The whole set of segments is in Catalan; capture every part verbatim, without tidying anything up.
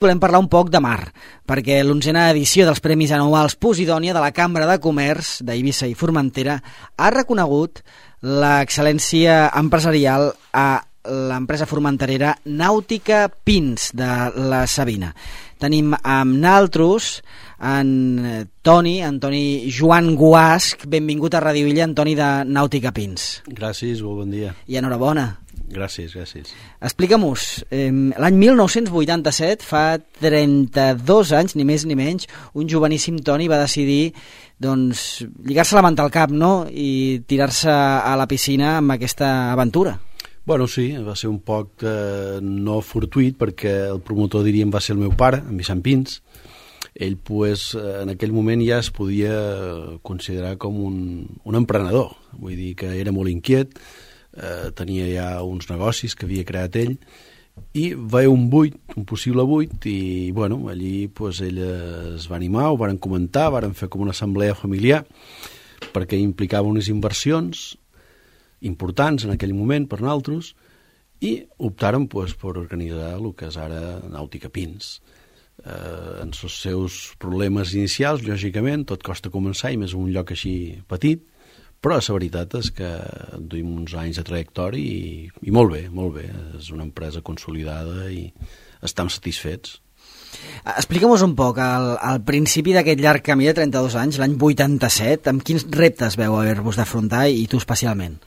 Volem parlar un poc de mar, perquè l'onzena edició dels Premis Anuals Posidònia de la Cambra de Comerç d'Eivissa i Formentera ha reconegut l'excel·lència empresarial a l'empresa formenterera Nàutica Pins de la Sabina. Tenim amb naltros en Toni, Antoni Joan Guasch. Benvingut a Ràdio Illa, Antoni de Nàutica Pins. Gràcies, molt bon dia. I enhorabona. Gràcies, gràcies. Explica'm-nos, eh, l'any mil nou-cents vuitanta-set, fa trenta-dos anys, ni més ni menys, un joveníssim Toni va decidir doncs, lligar-se la manta al cap, no?, i tirar-se a la piscina amb aquesta aventura. Bueno, sí, va ser un poc eh, no fortuït, perquè el promotor, diríem, va ser el meu pare, en Vicent Pins. Ell, pues, en aquell moment ja es podia considerar com un, un emprenedor, vull dir que era molt inquiet, eh, tenia ja uns negocis que havia creat ell, i va haver un buit, un possible buit, i bueno, allí pues, ell es va animar, ho varen comentar, varen fer com una assemblea familiar, perquè implicava unes inversions importants en aquell moment per nosaltres, i optaren pues, per organitzar el que és ara Nàutica Pins. Eh, en els seus problemes inicials, lògicament, tot costa començar, i més un lloc així petit, però la veritat és que duim uns anys de trajectòria i, i molt bé, molt bé. És una empresa consolidada i estem satisfets. Explica'm-nos un poc, al, al principi d'aquest llarg camí de trenta-dos anys, l'any vuitanta-set, amb quins reptes veu haver-vos d'afrontar i tu especialment?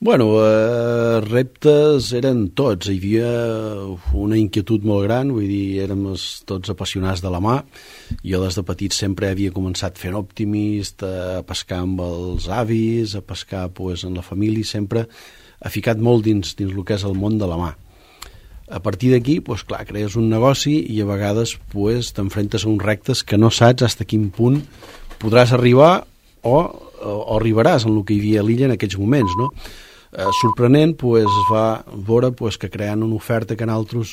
Bueno, eh, reptes eren tots. Hi havia una inquietud molt gran, vull dir, érem tots apassionats de la mà. Jo des de petit sempre havia començat fent Optimist, a pescar amb els avis, a pescar pues, en la família, sempre ha ficat molt dins, dins el que és el món de la mà. A partir d'aquí, pues, clar, crees un negoci i a vegades pues, t'enfrentes a uns reptes que no saps fins a quin punt podràs arribar o, o, o arribaràs en el que hi havia a l'illa en aquells moments, no? Eh, sorprenent, pues, es va veure pues, que creant una oferta que nosaltres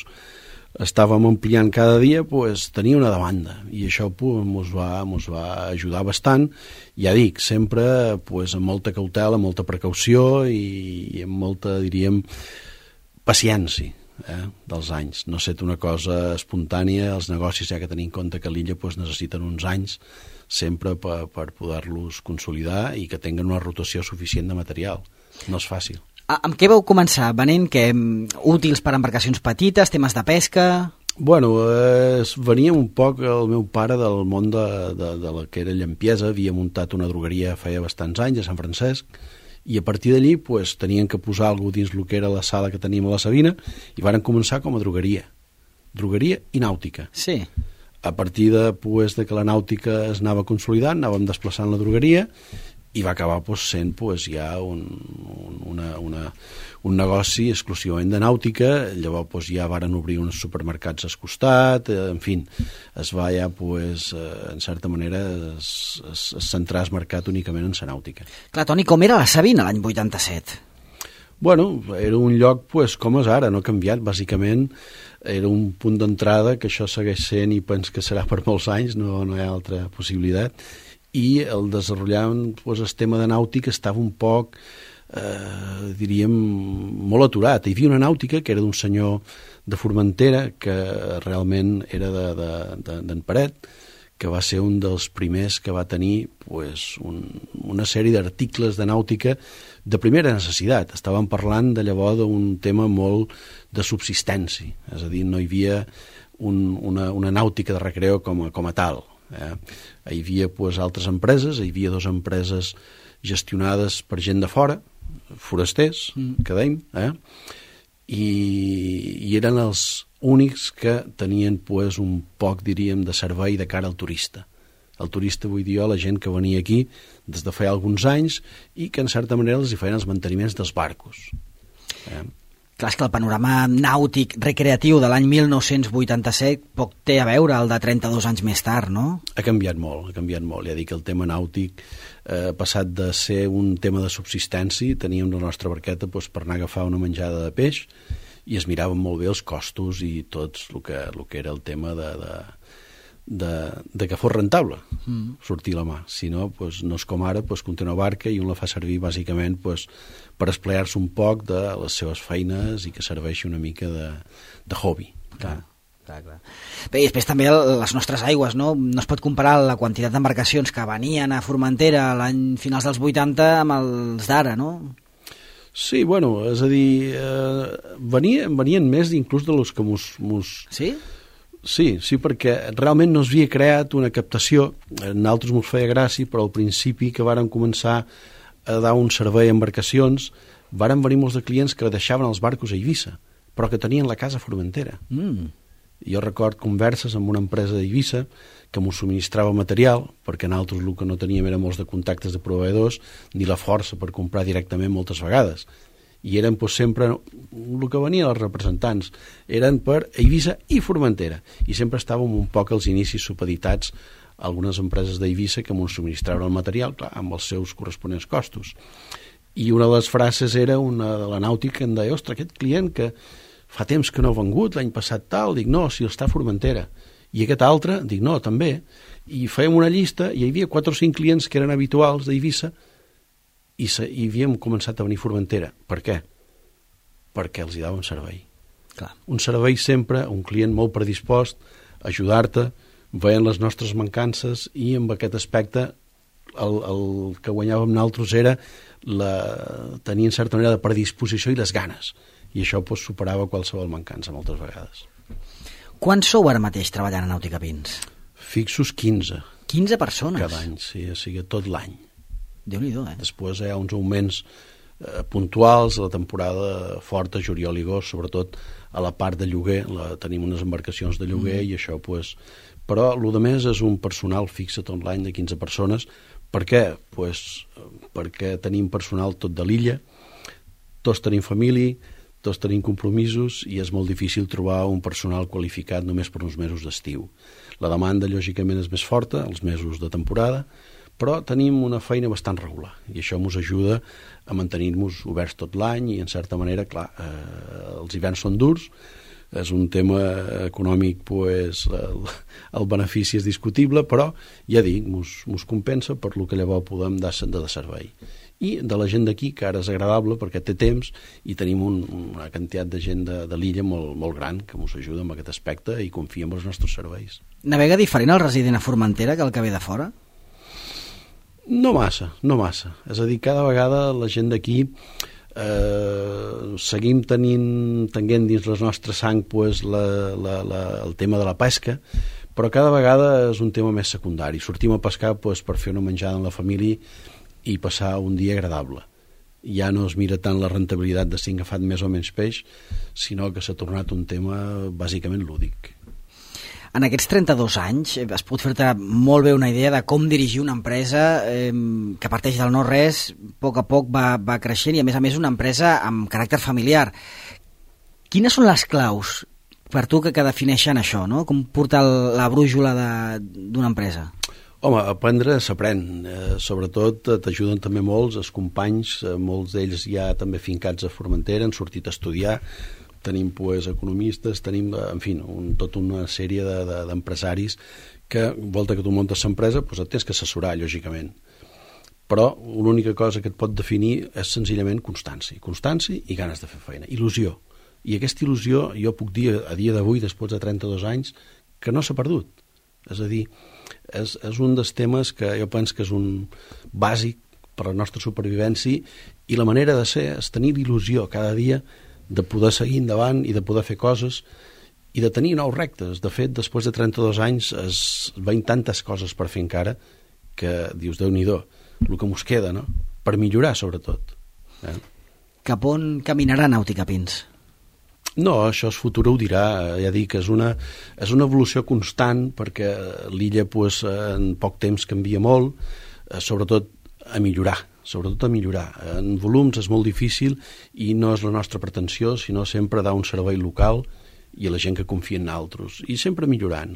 estàvem ampliant cada dia, pues, tenia una demanda, i això pues, mos va, mos va ajudar bastant. Ja dic, sempre pues, amb molta cautela, amb molta precaució i, i amb molta, diríem, paciència eh, dels anys. No ha estat una cosa espontània, els negocis, ja que tenim en compte que a l'illa pues, necessiten uns anys sempre per, per poder-los consolidar i que tinguin una rotació suficient de material. No és fàcil. Amb què vau començar? Venent que útils per a embarcacions petites, temes de pesca? Bueno, eh, venia un poc el meu pare del món de, de, de la que era llampiesa, havia muntat una drogueria feia bastants anys a Sant Francesc, i a partir d'allí pues, tenien que posar alguna cosa dins el que era la sala que teníem a la Sabina, i varen començar com a drogueria. Drogueria i nàutica. Sí. A partir de, pues, de que la nàutica es anava consolidant, anàvem desplaçant la drogueria, i va acabar pues, sent pues, ja un, un, una, una, un negoci exclusivament de nàutica. Llavors pues, ja varen obrir uns supermercats al costat, eh, en fi, es va ja, pues, eh, en certa manera, es, es, es centrar el mercat únicament en la nàutica. Clar, Toni, com era la Sabina l'any vuitanta-set? Bueno, era un lloc pues, com és ara, no ha canviat, bàsicament era un punt d'entrada que això segueix sent i penso que serà per molts anys, no, no hi ha altra possibilitat, i el desenvolupament, pues, el tema de nàutica estava un poc, eh, diríem, molt aturat. Hi havia una nàutica que era d'un senyor de Formentera, que realment era d'en de, de, de, Paret, que va ser un dels primers que va tenir pues, un, una sèrie d'articles de nàutica de primera necessitat. Estàvem parlant de llavors d'un tema molt de subsistència, és a dir, no hi havia un, una, una nàutica de recreo com a, com a tal. Eh? Hi havia pues, altres empreses, hi havia dues empreses gestionades per gent de fora, forasters, mm. que dèiem, eh? I, i eren els únics que tenien pues, un poc, diríem, de servei de cara al turista. El turista, vull dir jo, la gent que venia aquí des de feia alguns anys i que en certa manera els hi feien els manteniments dels barcos. Eh? Clar, és que el panorama nàutic recreatiu de l'any mil nou-cents vuitanta-set poc té a veure el de trenta-dos anys més tard, no? Ha canviat molt, ha canviat molt. Ja dic que el tema nàutic eh, ha passat de ser un tema de subsistència, teníem la nostra barqueta doncs, per anar a agafar una menjada de peix i es miraven molt bé els costos i tots el que, el que era el tema de, de, de, de que fos rentable mm. sortir la mà. Si no, doncs, no és com ara, doncs, que una barca i un la fa servir bàsicament doncs, per esplear-se un poc de les seves feines i que serveixi una mica de, de hobby. Clar. Clar, clar. Bé, i després també les nostres aigües, no? No es pot comparar la quantitat d'embarcacions que venien a Formentera l'any finals dels vuitanta amb els d'ara, no? Sí, bueno, és a dir, eh, venien, venien més inclús de los que mos... mos... Sí? Sí, sí, perquè realment no s'havia creat una captació, a nosaltres mos feia gràcia, però al principi que vàrem començar a dar un servei a embarcacions, varen venir molts de clients que deixaven els barcos a Eivissa, però que tenien la casa a Formentera. Mm. Jo record converses amb una empresa d'Eivissa que m'ho subministrava material, perquè nosaltres el que no teníem era molts de contactes de proveïdors ni la força per comprar directament moltes vegades. I eren doncs, sempre el que venien els representants eren per Eivissa i Formentera, i sempre estàvem un poc als inicis supeditats a algunes empreses d'Eivissa que m'ho subministraven el material, clar, amb els seus corresponents costos. I una de les frases era una de la nàutica que em deia, ostres, aquest client que fa temps que no ha vengut, l'any passat tal, dic, no, si està a Formentera. I aquest altre, dic, no, també. I fèiem una llista, i hi havia quatre o cinc clients que eren habituals d'Eivissa, i, se, i havíem començat a venir a Formentera. Per què? Perquè els hi dava un servei. Clar. Un servei sempre, un client molt predispost a ajudar-te, veient les nostres mancances, i amb aquest aspecte el, el que guanyàvem nosaltres era la, tenir en certa manera de predisposició i les ganes, i això pues, superava qualsevol mancança moltes vegades. Quants sou ara mateix treballant a Nàutica Pins? Fixos quinze. quinze persones? Cada any, sí, o sigui, tot l'any. Déu-n'hi-do, eh? Després hi ha uns augments eh, puntuals a la temporada forta, juliol i agost, sobretot a la part de lloguer, la, tenim unes embarcacions de lloguer mm. i això, pues, però el de més és un personal fixe tot l'any de quinze persones. Per què? Pues, perquè tenim personal tot de l'illa, tots tenim família, tots tenim compromisos i és molt difícil trobar un personal qualificat només per uns mesos d'estiu. La demanda, lògicament, és més forta, els mesos de temporada, però tenim una feina bastant regular i això ens ajuda a mantenir-nos oberts tot l'any i, en certa manera, clar, eh, els hiverns són durs, és un tema econòmic, pues, el, el benefici és discutible, però, ja dic, ens compensa per lo que llavors podem dar de servei. I de la gent d'aquí, que ara és agradable perquè té temps i tenim un, una quantitat de gent de, de l'illa molt, molt gran que ens ajuda en aquest aspecte i confia en els nostres serveis. Navega diferent el resident a Formentera que el que ve de fora? No massa, no massa. És a dir, cada vegada la gent d'aquí eh, seguim tenint, tenint dins la nostra sang pues, la, la, la, el tema de la pesca, però cada vegada és un tema més secundari. Sortim a pescar pues, per fer una menjada amb la família i passar un dia agradable. Ja no es mira tant la rentabilitat de si han agafat més o menys peix, sinó que s'ha tornat un tema bàsicament lúdic. En aquests trenta-dos anys es pot fer-te molt bé una idea de com dirigir una empresa eh, que parteix del no-res, a poc a poc va, va creixent i a més a més una empresa amb caràcter familiar. Quines són les claus per tu que, que defineixen això, no? Com portar el, la brújula d'una empresa? Home, aprendre s'aprèn, eh, sobretot t'ajuden també molts, els companys, eh, molts d'ells ja també fincats a Formentera, han sortit a estudiar, tenim pues, economistes, tenim, en fi, un, tota una sèrie de, de, d'empresaris que, volta que tu muntes l'empresa, pues, et tens que assessorar, lògicament. Però l'única cosa que et pot definir és senzillament constància, constància i ganes de fer feina, il·lusió. I aquesta il·lusió, jo puc dir a dia d'avui, després de trenta-dos anys, que no s'ha perdut. És a dir, és, és un dels temes que jo penso que és un bàsic per a la nostra supervivència i la manera de ser és tenir il·lusió cada dia de poder seguir endavant i de poder fer coses i de tenir nous reptes. De fet, després de trenta-dos anys es veien tantes coses per fer encara que dius, Déu-n'hi-do, el que mos queda, no? Per millorar, sobretot. Eh? Cap on caminarà Nàutica Pins? No, això és futur, ho dirà. Ja dic que és una, és una evolució constant perquè l'illa pues, en poc temps canvia molt, sobretot a millorar, sobretot a millorar. En volums és molt difícil i no és la nostra pretensió, sinó sempre dar un servei local i a la gent que confia en nosaltres. I sempre millorant.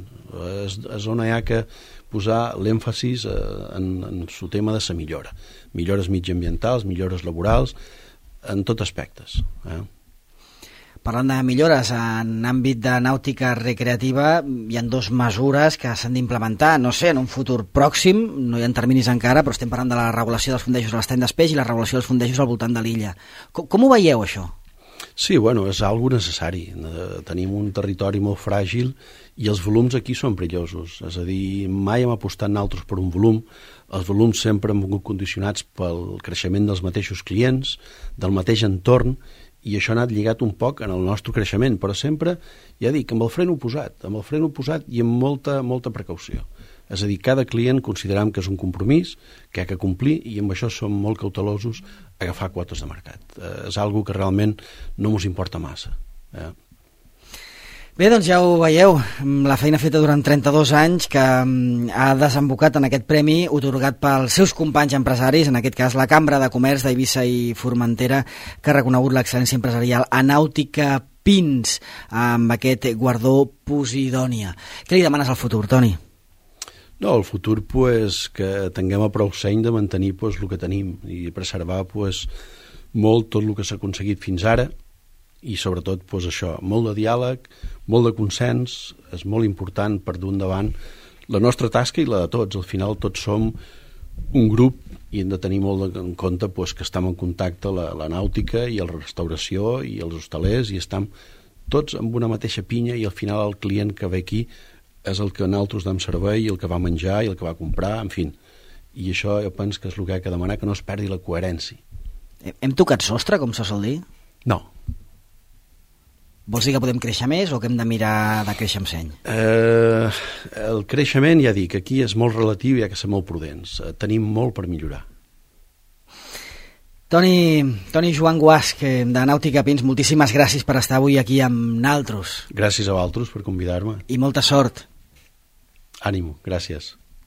És, és on hi ha que posar l'èmfasis en, en el tema de la millora. Millores mitjaambientals, millores laborals, en tots aspectes. Eh? Parlant de millores en àmbit de nàutica recreativa, hi ha dues mesures que s'han d'implementar, no sé, en un futur pròxim, no hi ha terminis encara, però estem parlant de la regulació dels fondejos a l'estany d'Espeix i la regulació dels fondejos al voltant de l'illa. Com, com ho veieu, això? Sí, bueno, és algo necessari. Tenim un territori molt fràgil i els volums aquí són perillosos. És a dir, mai hem apostat nosaltres per un volum. Els volums sempre han vingut condicionats pel creixement dels mateixos clients, del mateix entorn, i això ha anat lligat un poc en el nostre creixement, però sempre, ja dic, amb el fren oposat, amb el fren oposat i amb molta, molta precaució. És a dir, cada client consideram que és un compromís que ha de complir i amb això som molt cautelosos a agafar quotes de mercat. Eh, és algo que realment no ens importa massa. Eh? Bé, doncs ja ho veieu, la feina feta durant trenta-dos anys que ha desembocat en aquest premi otorgat pels seus companys empresaris, en aquest cas la Cambra de Comerç d'Eivissa i Formentera, que ha reconegut l'excel·lència empresarial a Nàutica Pins amb aquest guardó Posidònia. Què li demanes al futur, Toni? No, el futur, pues, que tinguem a prou seny de mantenir pues, el que tenim i preservar pues, molt tot el que s'ha aconseguit fins ara i sobretot pues, això, molt de diàleg, molt de consens, és molt important per dur endavant la nostra tasca i la de tots. Al final tots som un grup i hem de tenir molt en compte pues, que estem en contacte la, la nàutica i la restauració i els hostalers i estem tots amb una mateixa pinya i al final el client que ve aquí és el que nosaltres dam servei, el que va menjar i el que va comprar, en fi. I això jo penso que és el que ha de demanar, que no es perdi la coherència. Hem tocat sostre, com se sol dir? No. Vols dir que podem créixer més o que hem de mirar de créixer amb seny? Eh, el creixement, ja dic, aquí és molt relatiu i ha de ser molt prudents. Eh, tenim molt per millorar. Toni, Toni Joan Guasch, de Nàutica Pins, moltíssimes gràcies per estar avui aquí amb naltros. Gràcies a vosaltres per convidar-me. I molta sort. Ànimo, gràcies.